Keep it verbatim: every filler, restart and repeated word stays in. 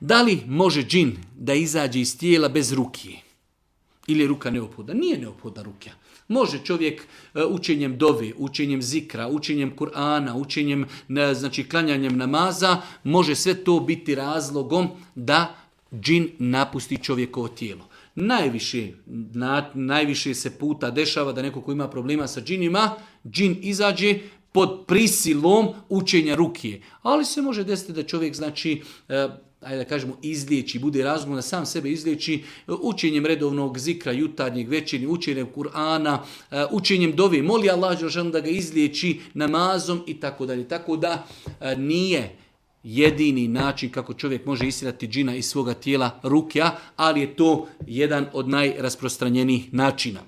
Da li može džin da izađe iz tijela bez rukije? Ili je ruka neophodna? Nije neophodna ruka. Može čovjek učenjem dove, učenjem zikra, učenjem Kur'ana, učenjem, znači klanjanjem namaza, može sve to biti razlogom da džin napusti čovjekovo tijelo. Najviše, na, najviše se puta dešava da neko ko ima problema sa džinima, džin izađe pod prisilom učenja rukije. Ali se može desiti da čovjek, znači, ajde da kažemo, izliječi, bude razlogom da sam sebe izliječi učenjem redovnog zikra, jutarnjeg, večernjeg, učenjem Kur'ana, učenjem dove, moli Allah da ga izliječi namazom i tako dalje. Tako da nije jedini način kako čovjek može istjerati džina iz svoga tijela rukja, ali je to jedan od najrasprostranjenijih načina.